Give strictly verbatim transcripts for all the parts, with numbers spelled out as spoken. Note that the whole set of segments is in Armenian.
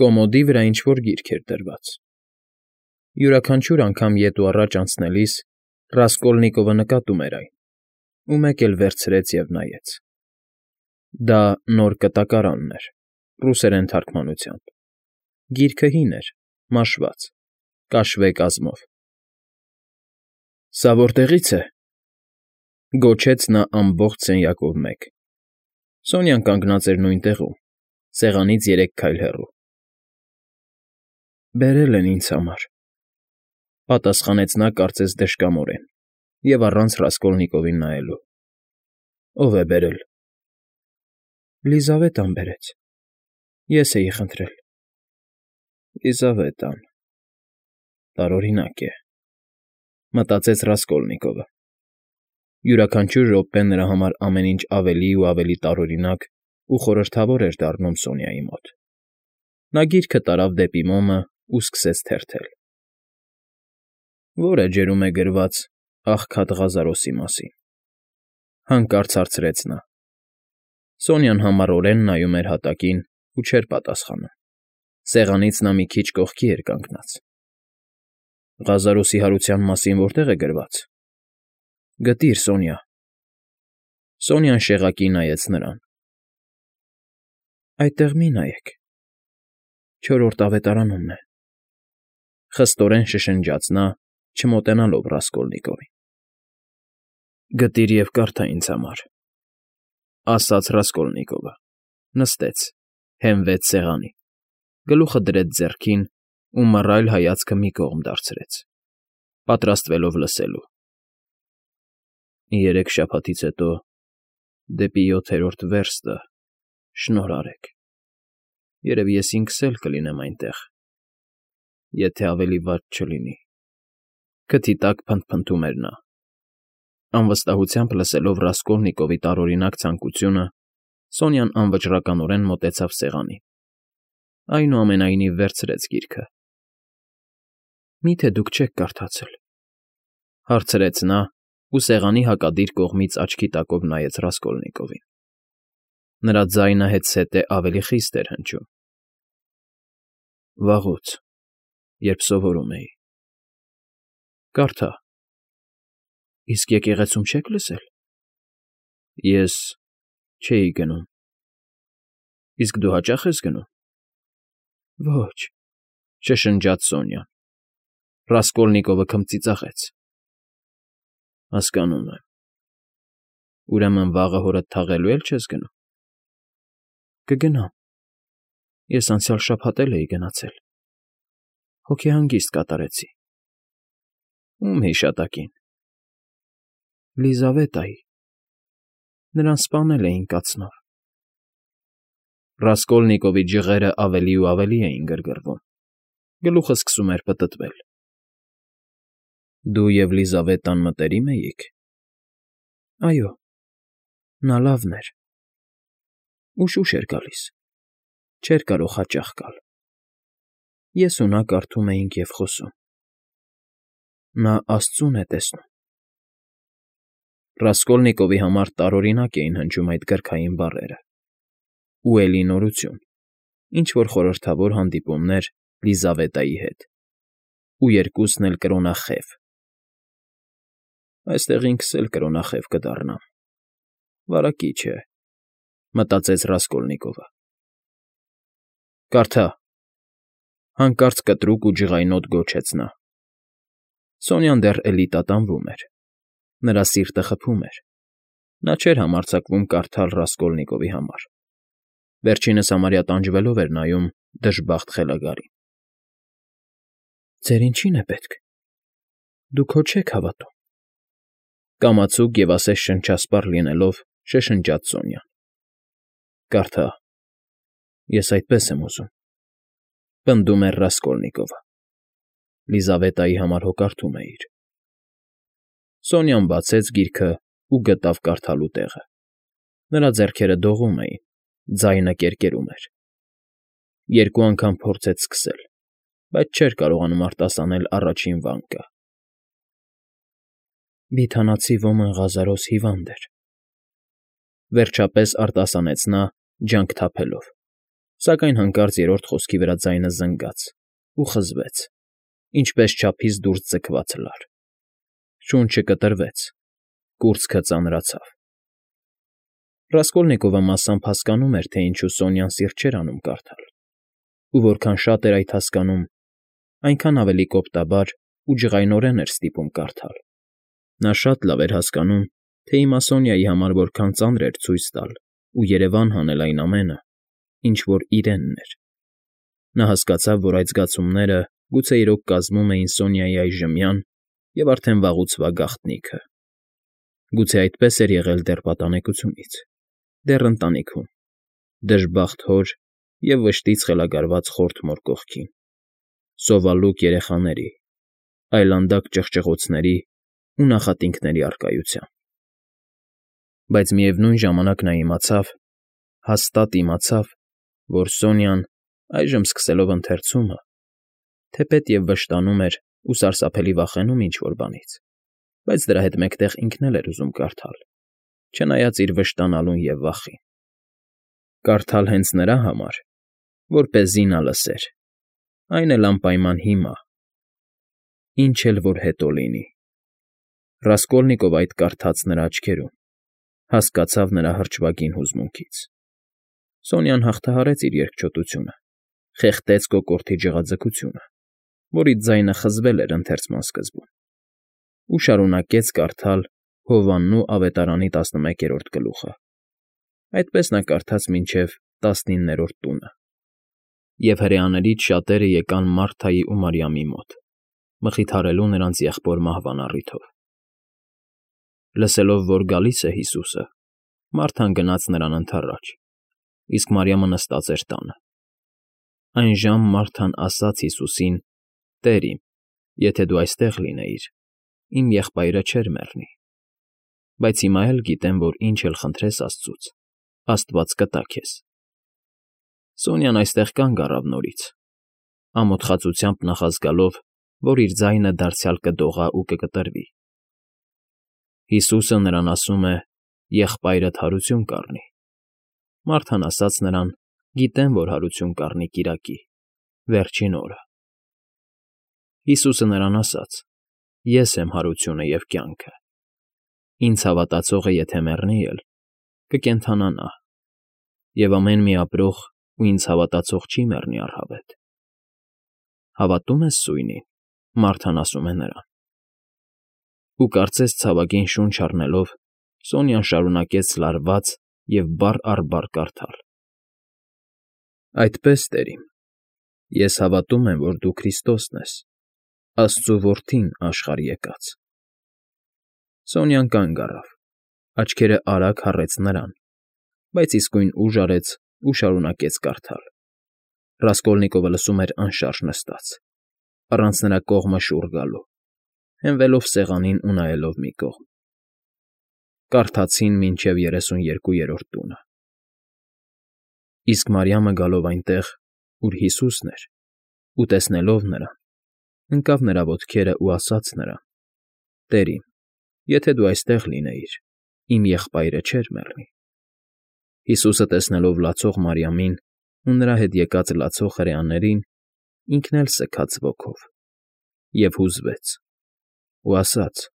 Կոմոդի վրա ինչ֊որ գիրք էր դրված։ Յուրաքանչյուր անգամ ետ ու առաջ անցնելիս Ռասկոլնիկովը նկատում էր այն ու մեկ էլ վերցրեց և նայեց. դա նոր կտակարանն էր, ռուսերեն թարգմանությամբ, գիրքը հին էր, մաշված, կաշվե կազմով։ ֊ Սա որտեղի՞ց է,֊ գոչեց նա ամբողջ սենյակով մեկ։ Սոնյան կանգնած էր նույն տեղում, սեղանից երեք քայլ հեռու։ ֊ Բերել են ինձ համար,֊ պատասխանեց նա կարծես դժկամորեն և առանց Ռասկոլնիկովին նայելու։ ֊ Ո՞վ է բերել։ ֊ Լիզավետան բերեց, ես էի խնդրել։ ֊ Լիզավետան… տարօրինակ է,֊ մտածեց Ռասկոլնիկովը։ Յուրաքանչյուր րոպե նրա համար ամեն ինչ ավելի ու ավելի տարօրինակ ու խորհրդավոր էր դառնում Սոնյայի մոտ։ Նա գիրքը տարավ դեպի մոմն ու սկսեց թերթել։ «Ո՞ր էջերում է գրված աղքատ Ղազարոսի մասին,֊ հանկարծ հարցրեց նա։ Սոնյան համառորեն նայում էր հատակին ու չէր պատասխանում։ Սեղանից նա մի քիչ կողքի էր կանգնած։ ֊ Ղազարոսի հարության մասին որտե՞ղ է գրված։ ֊ Գտիր, Սոնյա։ Սոնյան շեղակի նայեց նրան։ ֊ Այդտեղ մի նայեք, չորրորդ ավետարանումն է,֊ խստորեն շշնջաց նա, չմոտենալով Ռասկոլնիկովին։ ֊ Գտիր և կարդա ինձ համար,֊ ասաց Ռասկոլնիկովը, նստեց, հենվեց սեղանին, գլուխը դրեց ձեռքին ու մռայլ հայացքը մի կողմ դարձրեց, պատրաստվելով լսելու։ ֊ Երեք շաբաթից հետո դեպի յոթերորդ վերստը, շնորհ արեք, երևի ես ինքս էլ կլինեմ այնտեղ, եթե ավելի վատ չլինի,֊ քթի տակ փնթփնթում էր նա։ Անվստահությամբ լսելով Ռասկոլնիկովի տարօրինակ ցանկությունը, Սոնյան անվճռականորեն մոտեցավ սեղանին, այնուամենայնիվ վերցրեց գիրքը։ ֊ Մի՞թե դուք չեք կարդացել,֊ հարցրեց նա ու սեղանի հակադիր կողմից աչքի տակով նայեց Ռասկոլնիկովին։ Նրա ձայնը հետզհետե ավելի խիստ էր հնչում։ ֊ Վաղուց, երբ սովորում էի։ ֊ Կարդա։ ֊ Իսկ եկեղեցում չե՞ք լսել։ ֊ Ես չէի գնում։ ֊ Իսկ դու հաճա՞խ ես գնում։ ֊ Ոչ,֊ շշնջաց Սոնյան։ Ռասկոլնիկովը քմծիծաղեց։ ֊ Հասկանում եմ։ Ուրեմն վաղը հորդ թաղելու էլ չես գնում։ ֊ Կգնամ, ես անցյալ շաբաթ էլ էի գնացել, հոգեհանգիստ կատարեցի։ ֊ Ո՞ւմ հիշատակին։ ֊ Լիզավետայի, նրան սպանել էին կացնով։ Ռասկոլնիկովի ջղերն ավելի ու ավելի էին գրգռվում, գլուխը սկսում էր պտտվել։ ֊ Դու և Լիզավետան մտերի՞մ էիք։ ֊ Այո, նա լավն էր, ուշ֊ուշ էր գալիս, չէր կարող հաճախ գալ։ Ես ու նա կարդում էինք և խոսում։ Նա աստծուն է տեսնում։ Ռասկոլնիկովի համար տարօրինակ էին հնչում այդ կրքային բառերը։ Ու էլի նորություն, ինչ֊որ խորհրդավոր հանդիպումներ Լիզավետայի հետ, ու երկուսն էլ կրոնախև։ «Այստեղ ինքս էլ կրոնախև կդառնամ, վարագիչ է,֊ մտածեց Ռասկոլնիկովը։ ֊ Կարդա,֊ հանկարծ կտրուկ ու ջղայնոտ գոչեց նա։ Սոնյան դեռ էլի տատանվում էր, նրա սիրտը խփում էր, նա չէր համարձակվում կարդալ Ռասկոլնիկովի համար, վերջինս համարյա տանջվելով էր նայում դժբախտ խելագարին։ ֊ Ձեր ինչի՞ն է պետք, դուք հո չեք հավատում,֊ կամացուկ և ասես շնչասպառ լինելով շշնջաց Սոնյան։ ֊ Կարդա, ես այդպես եմ ուզում,֊ պնդում էր Ռասկոլնիկովը։ Լիզավետայի համար հո կարդում էիր։ Սոնյան բացեց գիրքն ու գտավ կարդալու տեղը։ Նրա ձեռքերը դողում էին, ձայնը կերկերում էր։ Երկու անգամ փորձեց սկսել, բայց չէր կարողանում արտասանել առաջին վանկը. «Բիթանացի ոմն Ղազարոս հիվանդ էր,֊ վերջապես արտասանեց նա, ջանք թափելով։ Սակայն հանկարծ երրորդ խոսքի վրա ձայնը զնգաց ու խզվեց, ինչպես չափից դուրս ձգված լար. շունչը կտրվեց, կուրծքը ծանրացավ։ Ռասկոլնիկովը մասամբ հասկանում էր, թե ինչու Սոնյան սիրտ չէր անում կարդալ, ու որքան շատ էր այդ հասկանում, այնքան ավելի կոպտաբար ու ջղայնորեն էր ստիպում կարդալ։ Նա շատ լավ էր հասկանում, թե հիմա Սոնյայի համար որքան ծանր էր ցույց տալ ու երևան հանել այն ամենը, ինչ որ իրենն էր։ Նա հասկացավ, որ այդ զգացումները գուցե իրոք կազմում էին Սոնյայի այժմյան և արդեն վաղուցվա գաղտնիքը։ Գուցե այդպես էր եղել դեռ պատանեկությունից, դեռ ընտանիքում, դժբախտ հոր և վշտից խելագարված խորթ մոր կողքին, սովալուկ երեխաների, այլանդակ ճղճղոցների ու նախատինքների առկայությամբ։ Բայց միևնույն ժամանակ նա իմացավ, հաստատ իմացավ, որ Սոնյան, այժմ սկսելով ընթերցումը, թեպետ և վշտանում էր ու սարսափելի վախենում ինչ֊որ բանից, բայց դրա հետ մեկտեղ ինքն էլ էր ուզում կարդալ, չնայած իր վշտանալուն և վախին։ Կարդալ հենց նրա համար, որպեսզի նա լսեր, այն էլ անպայման հիմա, ինչ էլ որ հետո լինի։ Ռասկոլնիկովը այդ կարդաց նրա աչքերում, հասկացավ նրա հրճվագին հուզմունքից։ Սոնյան հաղթահարեց իր երկչոտությունը, խեղդեց կոկորդի ջղաձգությունը, որից ձայնը խզվել էր ընթերցման սկզբում, ու շարունակեց կարդալ Հովհաննու ավետարանի տասնմեկերորդ գլուխը։ Այդպես նա կարդաց մինչև տասնիններորդ տունը, և հրեաներից շատերը եկան Մարթայի ու Մարիամի մոտ, մխիթարելու նրանց եղբոր մահվան առիթով։ Լսելով, որ գալիս է Հիսուսը, Մարթան գնաց նրան ընդառաջ, իսկ Մարիամը նստած էր տանը։ Այն ժամ Մարթան ասաց Հիսուսին. «Տեր իմ, եթե դու այստեղ լինեիր, իմ եղբայրը չէր մեռնի։ Բայց հիմա էլ գիտեմ, որ ինչ էլ խնդրես աստծուց, Աստված կտա քեզ»։ Սոնյան այստեղ կանգ առավ նորից, ամոթխածությամբ նախազգալով, որ իր ձայնը դարձյալ կդողա ու կկտրվի։ Հիսուսը նրան ասում է. «Եղբայրդ հարություն կառնի»։ Մարթան ասաց նրան. «Գիտեմ, որ հարություն կառնի կիրակի, վերջին օրը»։ Հիսուսը նրան ասաց. «Ես եմ հարությունը և կյանքը։ Ինձ հավատացողը եթե մեռնի էլ, կկենդանանա, և ամեն մի ապրող ու ինձ հավատացող չի մեռնի առհավետ»։ «Հավատո՞ւմ ես սույնին», Մարթան ասում է նրան։ Ու կարծես ցավագին շունչ առնելով, Սոնյան շարունակեց լարված և բառ առ բառ կարդալ. «Այդպես, տեր իմ, ես հավատում եմ, որ դու Քրիստոսն ես, Աստծու Որդին աշխարհ եկած»։ Սոնյան կանգ առավ, աչքերը արագ հառեց նրան, բայց իսկույն ուժ արեց ու շարունակեց կարդալ։ Ռասկոլնիկովը լսում էր անշարժ նստած, առանց նրա կողմը շուռ գալու, հենվելով սեղանին ու նայելով մի կողմ։ Կարդացին մինչև երեսուներկուերորդ տունը։ Իսկ Մարիամը գալով այնտեղ, ուր Հիսուսն էր, ու տեսնելով նրան, ընկավ նրա ոտքերը ու ասաց նրան. «Տեր իմ, եթե դու այստեղ լինեիր, իմ եղբայրը չէր մեռնի»։ Հիսուսը տեսնելով լացող Մարիամին ու նրա հետ եկած լացող հրեաներին, ինքն էլ սգաց ոգով և հուզվեց, ու ասաց.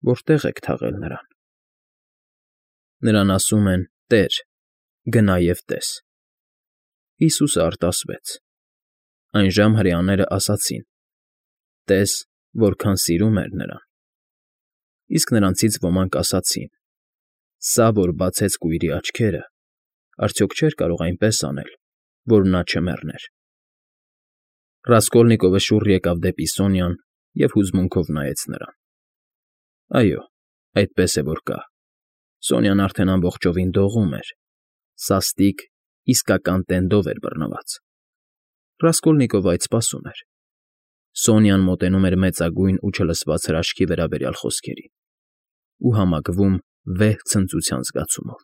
«Որտե՞ղ եք թաղել նրան»։ Նրան ասում են. «Տեր, գնա և տես»։ Հիսուսը արտասվեց։ Այնժամ հրեաները ասացին. «Տես, որքան սիրում էր նրան»։ Իսկ նրանցից ոմանք ասացին. «Սա, որ բացեց կույրի աչքերը, արդյոք չէր կարող այնպես անել, որ նա չմեռներ»։ Ռասկոլնիկովը շուռ եկավ դեպի Սոնյան և հուզմունքով նայեց նրան։ Այո, այդպես է որ կա։ Սոնյան արդեն ամբողջովին դողում էր, սաստիկ, իսկական տենդով էր բռնված։ Ռասկոլնիկովը այդ սպասում էր։ Սոնյան մոտենում էր մեծագույն ու չլսված հրաշքի վերաբերյալ խոսքերին ու համակվում վեհ ցնծության զգացումով։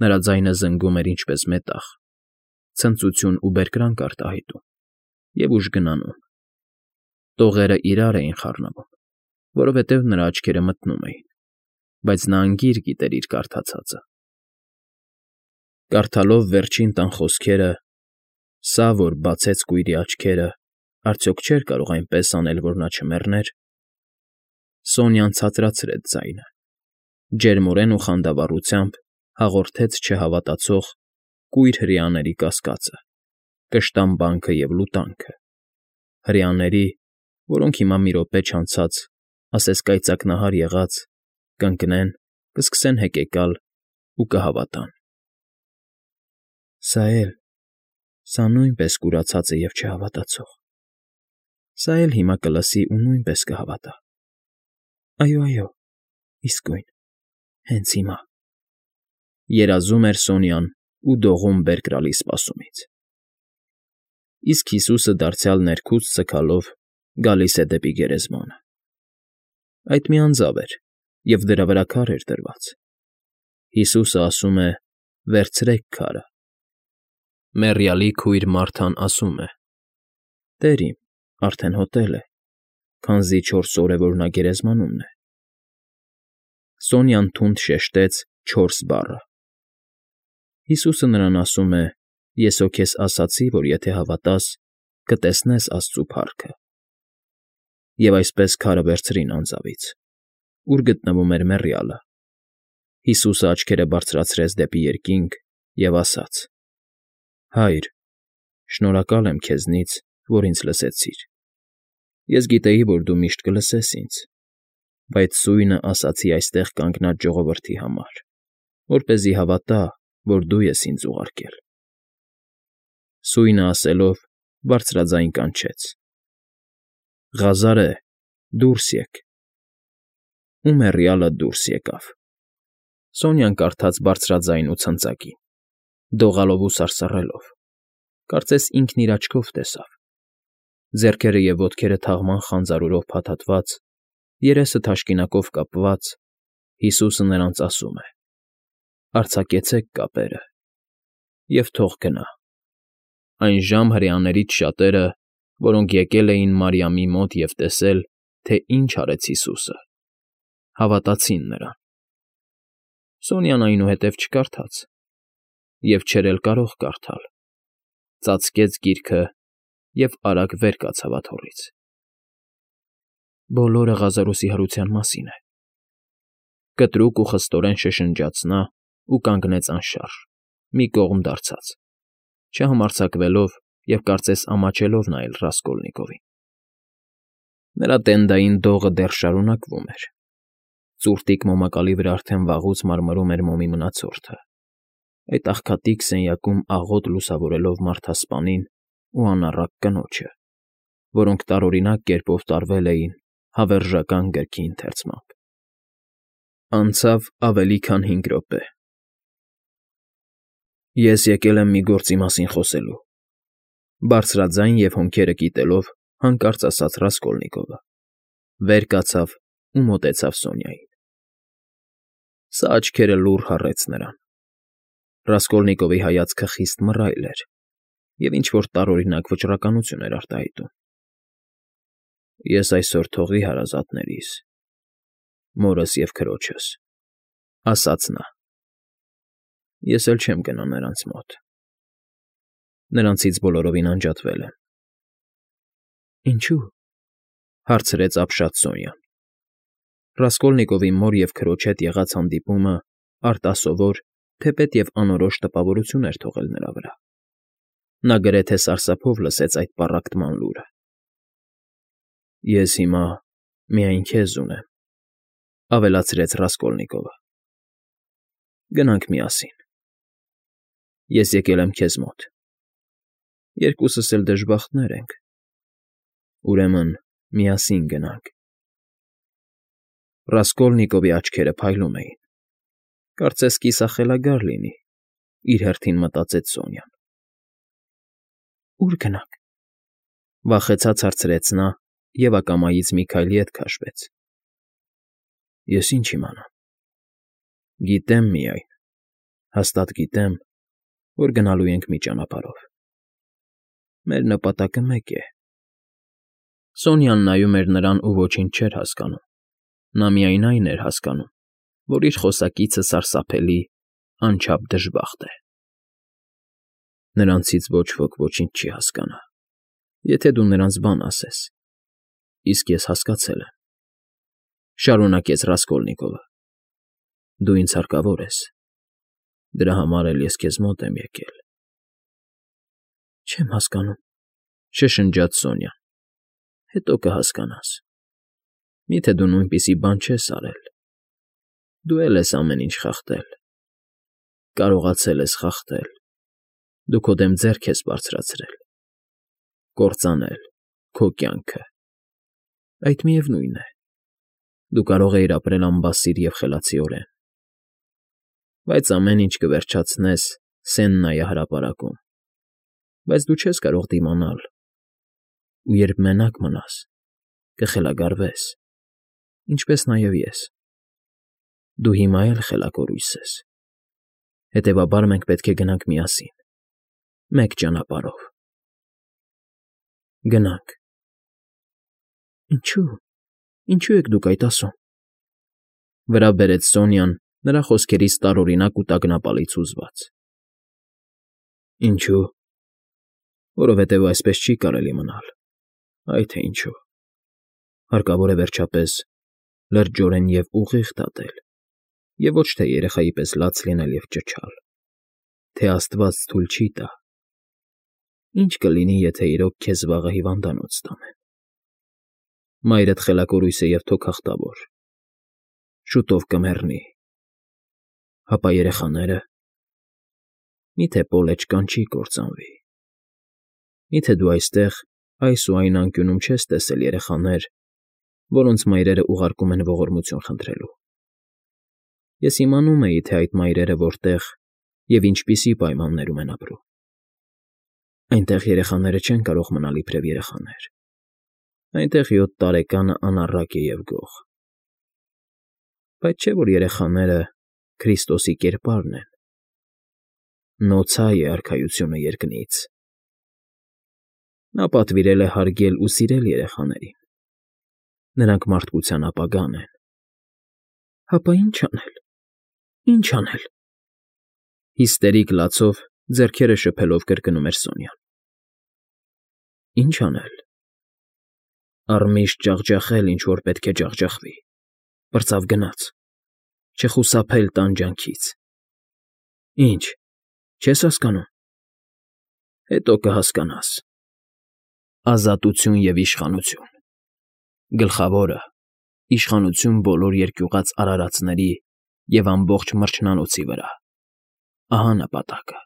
Նրա ձայնը զնգում էր ինչպես մետաղ, ցնծություն ու բերկրանք արտահայտում և ուժգնանում։ Տողերը իրար էին խառնվում, որովհետև նրա աչքերը մթնում էին, բայց նա անգիր գիտեր իր կարդացածը։ Կարդալով վերջին տան խոսքերը՝ Սա, որ բացեց կույրի աչքերը, արդյոք չէր կարող այնպես անել, որ նա չմեռներ… Սոնյան ցածրացրեց ձայնը, ջերմորեն ու խանդավառությամբ հաղորդեց չհավատացող կույր հրեաների կասկածը, կշտամբանքը և լուտանքը, հրեաների, որոնք հիմա մի րոպե չանցած, ասես կայծակնահար եղած, կընկնեն, կսկսեն հեկեկալ ու կհավատան։ Սա էլ, սա նույնպես կուրացած է և չհավատացող… Սա էլ հիմա կլսի ու նույնպես կհավատա… Այո, այո, իսկույն, հենց հիմա…֊ երազում էր Սոնյան ու դողում բերկրալի սպասումից։ Իսկ Հիսուսը դարձյալ ներքուստ ձգալով գալիս է դեպի գերեզմանը… Այդ մի անձավ էր, և դրա վրա քար էր դրված… Հիսուսը ասում է. «Վերցրեք քարը»… Մեռյալի քույր Մարթան ասում է. «Տեր իմ, արդեն հոտել է, քանզի չորս օր է, որ նա գերեզմանումն է»… Սոնյան թունդ շեշտեց չորս բառը… Հիսուսը նրան ասում է. «Ես հո քեզ ասացի, որ եթե հավատաս, կտեսնես Աստծու փառքը»… Եվ այսպես քարը վերցրին անձավից, ուր գտնվում էր մեռյալը… Հիսուսը աչքերը բարձրացրեց դեպի երկինք և ասաց. «Հա՛յր, շնորհակալ եմ քեզնից, որ ինձ լսեցիր… Ես գիտեի, որ դու միշտ կլսես ինձ, բայց սույնը ասացի այստեղ կանգնած ժողովրդի համար, որպեսզի հավատա, որ դու ես ինձ ուղարկել»… Սույնը ասելով, բարձրաձայն կանչեց. «Ղազարե՛, դուրս եկ»… Ու մեռյալը դուրս եկավ… Սոնյան կարդաց բարձրաձայն ու ցնծակի, դողալով ու սարսռելով, կարծես ինքն իր աչքով տեսավ… Ձեռքերը և ոտքերը թաղման խանձարուրով փաթաթված, երեսը թաշկինակով կապված, Հիսուսը նրանց ասում է. «Արձակեցեք կապերը և թող գնա»… Այնժամ հրեաներից շատերը, որոնք եկել էին Մարիամի մոտ և տեսել, թե ինչ արեց Հիսուսը, հավատացին նրան… Սոնյան այնուհետև չկարդաց և չէր էլ կարող կարդալ, ծածկեց գիրքը և արագ վեր կացավ աթոռից… «Բոլորը Ղազարոսի հարության մասին է…»… կտրուկ ու խստորեն շշնջաց նա ու կանգնեց անշարժ, մի կողմ դարձած, չհամարձակվելով և կարծես ամաչելով նայել Ռասկոլնիկովին… Նրա տենդային դողը դեռ շարունակվում էր, ծուռտիկ մոմակալի վրա արդեն վաղուց մարմրում էր մոմի մնացորդը, այդ աղքատիկ սենյակում աղոտ լուսավորելով մարդասպանին ու անառակ կնոջը, որոնք տարօրինակ կերպով տարվել էին հավերժական գրքի ընթերցմամբ… Անցավ ավելի քան հինգ րոպե… «Ես եկել եմ մի գործի մասին խոսելու…֊ բարձրաձայն և հոնքերը կիտելով հանկարծ ասաց Ռասկոլնիկովը, վեր կացավ ու մոտեցավ Սոնյային… Սա աչքերը լուռ հառեց նրան… Ռասկոլնիկովի հայացքը խիստ մռայլ էր և ինչ֊որ տարօրինակ վճռականություն էր արտահայտում։ ֊ Ես այսօր թողի հարազատներիս, մորս և քրոջս,֊ ասաց նա։֊ Ես էլ չեմ գնա նրանց մոտ… Նրանցից բոլորովին անջատվել եմ… ֊ Ինչո՞ւ,֊ հարցրեց ապշած Սոնյան։ Ռասկոլնիկովի մոր և քրոջ հետ եղած հանդիպումը արտասովոր, թեպետ և անորոշ տպավորություն էր թողել նրա վրա… Նա գրեթե սարսափով լսեց այդ պառակտման լուրը։ ֊ Ես հիմա միայն քեզ ունեմ,֊ ավելացրեց Ռասկոլնիկովը։ ֊ Գնանք միասին… Ես եկել եմ քեզ մոտ… Երկուսս էլ դժբախտներ ենք… Ուրեմն միասին գնանք… Ռասկոլնիկովի աչքերը փայլում էին… Կարծես կիսախելագար լինի, իր հերթին մտածեց Սոնյան։ ֊ Ո՞ւր գնանք,֊ վախեցած հարցրեց նա և ակամայից մի քայլ ետ քաշվեց։ ֊ Ես ինչ իմանամ… Գիտեմ միայն, հաստատ գիտեմ, որ գնալու ենք մի ճանապարհով… Մեր նպատակը մեկ է… Սոնյան նայում էր նրան ու ոչինչ չէր հասկանում… Նա միայն այն էր հասկանում, որ իր խոսակիցը սարսափելի, անչափ դժբախտ է։ Նրանցից ոչ ոք ոչինչ չի հասկանա, եթե դու նրանց բան ասես, իսկ ես հասկացել եմ,֊ շարունակեց Ռասկոլնիկովը։֊ Դու ինձ հարկավոր ես, դրա համար էլ ես քեզ մոտ եմ եկել։ ֊ Չեմ հասկանում,֊ շշնջաց Սոնյան։ ֊ Հետո կհասկանաս։ Մի՞թե դու նույնպիսի բան չես արել։ Դու էլ ես ամեն ինչ խախտել, կարողացել ես խախտել, դու քո դեմ ձեռք ես բարձրացրել, կործանել քո կյանքը, այդ միևնույն է, դու կարող էիր ապրել անբասիր և խելացիորեն, բայց ամեն ինչ կվերջացնես Սեննայի հրապարակում, բայց դու չես կարող դիմանալ, ու երբ մենակ մնաս, կխելագարվես, ինչպես նաև ես, դու հիմա էլ խելակորույս ես, հետևաբար մենք պետք է գնանք միասին, մեկ ճանապարհով։ ֊ Գնանք։ ֊ Ինչո՞ւ, ինչո՞ւ եք դուք այդ ասում,֊ վրա բերեց Սոնյան նրա խոսքերից տարօրինակ ու տագնապալից հուզված։ ֊ Ինչո՞ւ, որովհետև այսպես չի կարելի մնալ, այ թե ինչու, հարկավոր է վերջապես լրջորեն և ուղիղ դատել և ոչ թե երեխայի պես լաց լինել և ճչալ, թե աստված թույլ չի տա, ինչ կլինի, եթե իրոք քեզ վաղը հիվանդանոց տանեն, մայրդ խելակորույս է և թոքախտավոր, շուտով կմեռնի, հապա երեխաները… Մի՞թե Պոլը չկանչի կործանվի, մի՞թե դու այստեղ այս ու այն անկյունում չես տեսել երեխաներ, որոնց մայրերը ուղարկում են ողորմություն խնդրելու… Ես իմանում էի, թե այդ մայրերը որտեղ և ինչպիսի պայմաններում են ապրում… Այնտեղ երեխաները չեն կարող մնալ իբրև երեխաներ, այնտեղ յոթ տարեկանը անառակ է և գող… Բայց չէ՞ որ երեխաները Քրիստոսի կերպարն են, նոցա է Արքայությունը երկնից… Նա պատվիրել է հարգել ու սիրել երեխաներին, նրանք մարդկության ապագան են… ֊ Հապա ի՞նչ անել, ի՞նչ անել,֊ հիստերիկ լացով ձեռքերը շփելով կրկնում էր Սոնյան։ ֊ Ի՞նչ անել… Առմիշտ ջախջախել, ինչ որ պետք է ջախջախվի, պրծավ գնաց, չխուսափել տանջանքից… Ի՞նչ, չես հասկանում… Հետո կհասկանաս… Ազատություն և իշխանություն… Գլխավորը՝ իշխանություն բոլոր երկյուղած արարածների և ամբողջ մրջնանոցի վրա… Ահա նպատակը…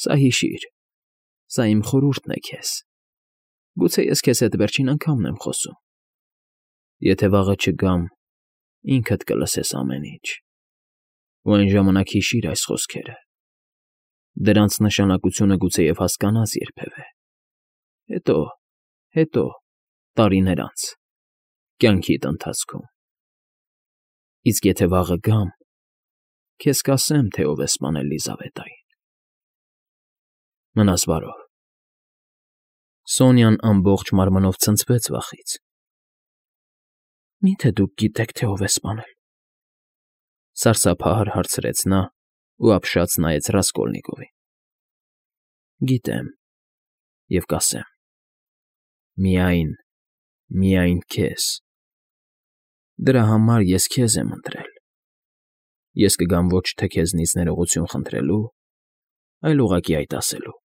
Սա հիշիր, սա իմ խորհուրդն է քեզ… Գուցե ես քեզ հետ վերջին անգամն եմ խոսում… Եթե վաղը չգամ, ինքդ կլսես ամեն ինչ… Ու այն ժամանակ հիշիր այս խոսքերը… Դրանց նշանակությունը գուցեև հասկանաս երբևէ… Հետո, հետո, տարիներ անց, կյանքիդ ընթացքում… Իսկ եթե վաղը գամ, քեզ կասեմ, թե ով է սպանել Լիզավետային… Մնաս բարով… Սոնյան ամբողջ մարմնով ցնցվեց վախից։ ֊ Մի՞թե դուք գիտեք, թե ով է սպանել,֊ սարսափահար հարցրեց նա ու ապշած նայեց Ռասկոլնիկովին։ ֊ Գիտեմ և կասեմ… Միայն, միայն քեզ… Դրա համար ես քեզ եմ ընտրել… Ես կգամ ոչ թե քեզնից ներողություն խնդրելու, այլ ուղղակի այդ ասելու…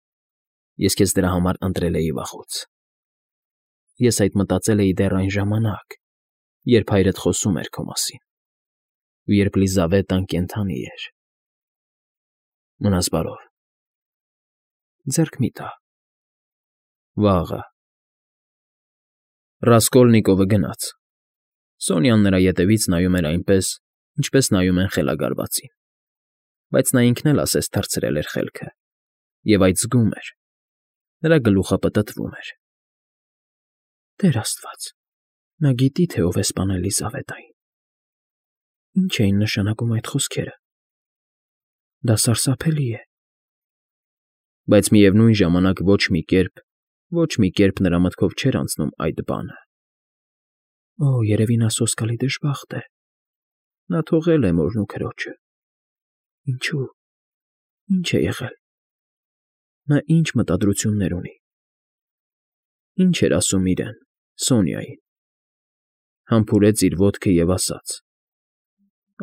Ես քեզ դրա համար ընտրել էի վաղուց… Ես այդ մտածել էի դեռ այն ժամանակ, երբ հայրդ խոսում էր քո մասին, ու երբ Լիզավետան կենդանի էր… Մնաս բարով… Ձեռք մի՛ տա… Վաղը… Ռասկոլնիկովը գնաց… Սոնյան նրա ետևից նայում էր այնպես, ինչպես նայում են խելագարվածին, բայց նա ինքն էլ ասես թռցրել էր խելքը, և այդ զգում էր, նրա գլուխը պտտվում էր… Տեր աստված, նա գիտի, թե ով է սպանել Լիզավետային… Ի՞նչ էին նշանակում այդ խոսքերը… Դա սարսափելի է… Բայց միևնույն ժամանակ ոչ մի կերպ, ոչ մի կերպ նրա մտքով չէր անցնում այդ բանը… Օ, երևի նա սոսկալի դժբախտ է… Նա թողել է մորն ու քրոջը… Ինչո՞ւ… Ի՞նչ է եղել… Նա ինչ մտադրություններ ունի… Ինչ էր ասում իրեն, Սոնյային… Համբուրեց իր ոտքը և ասաց.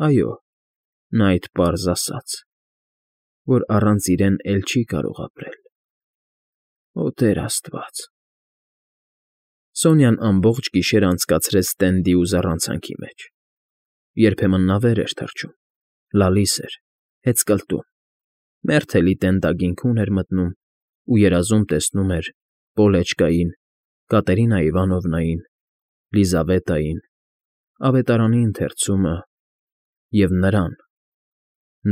«Այո, նա այդ պարզ ասաց, որ առանց իրեն էլ չի կարող ապրել… Օ Տեր աստված…» Սոնյան ամբողջ գիշեր անցկացրեց տենդի ու զառանցանքի մեջ. երբեմն նա վեր էր թռչում, լալիս էր, հեծկլտում, մերթելի տենդագինքն էր մտնում ու երազում տեսնում էր Պոլեչկային, Կատերինա Իվանովնային, Լիզավետային, ավետարանի ընթերցումը և նրան,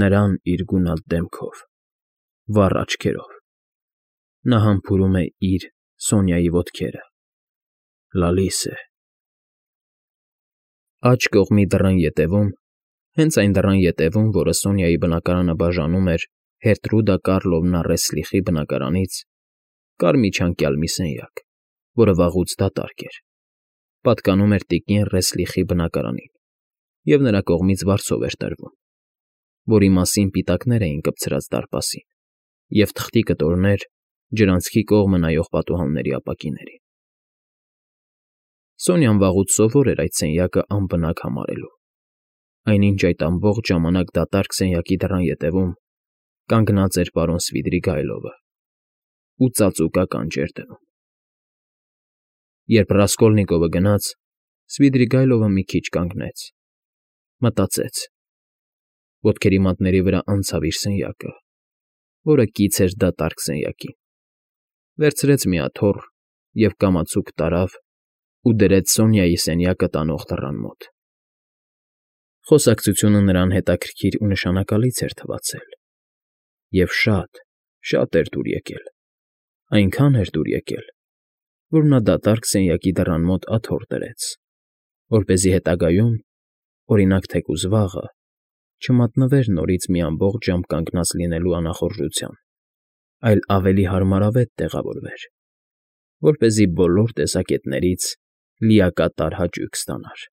նրան իր գունատ դեմքով, վառ աչքերով… Նա համբուրում է իր՝ Սոնյայի ոտքերը, լալիս է… Աջ կողմի դռան ետևում, հենց այն դռան ետևում, որը Սոնյայի բնակարանը բաժանում էր Հերտրուդա Կառլովնա Ռեսլիխի բնակարանից, կար միջանկյալ մի սենյակ, որը վաղուց դատարկ էր, պատկանում էր տիկին Ռեսլիխի բնակարանին և նրա կողմից վարձով էր տրվում, որի մասին պիտակներ էին կպցրած դարպասին և թղթի կտորներ ջրանցքի կողմը նայող պատուհանների ապակիներին։ Սոնյան վաղուց սովոր էր այդ սենյակը անբնակ համարելու, այնինչ այդ ամբողջ ժամանակ դատարկ սենյակի դռան ետևում կանգնած էր պարոն Սվիդրիգայլովը ու ծածուկականջ էր դնում։ Երբ Ռասկոլնիկովը գնաց, Սվիդրիգայլովը մի քիչ կանգնեց, մտածեց, ոտքերի մատների վրա անցավ իր սենյակը, որը կից էր դատարկ սենյակին, վերցրեց մի աթոռ և կամացուկ տարավ ու դրեց Սոնյայի սենյակը տանող դռան մոտ։ Խոսակցությունը նրան հետաքրքիր ու նշանակալից էր թվացել, և շատ, շատ էր դուր եկել, այնքան էր դուր եկել, որ նա դատարկ սենյակի դռան մոտ աթոռ դրեց, որպեսզի հետագայում, օրինակ, թեկուզ վաղը, չմատնվեր նորից մի ամբողջ ժամ կանգնած լինելու անախորժության, այլ ավելի հարմարավետ տեղավորվեր, որպեսզի բոլոր տեսակետներից լիակատար հաճույք ստանար։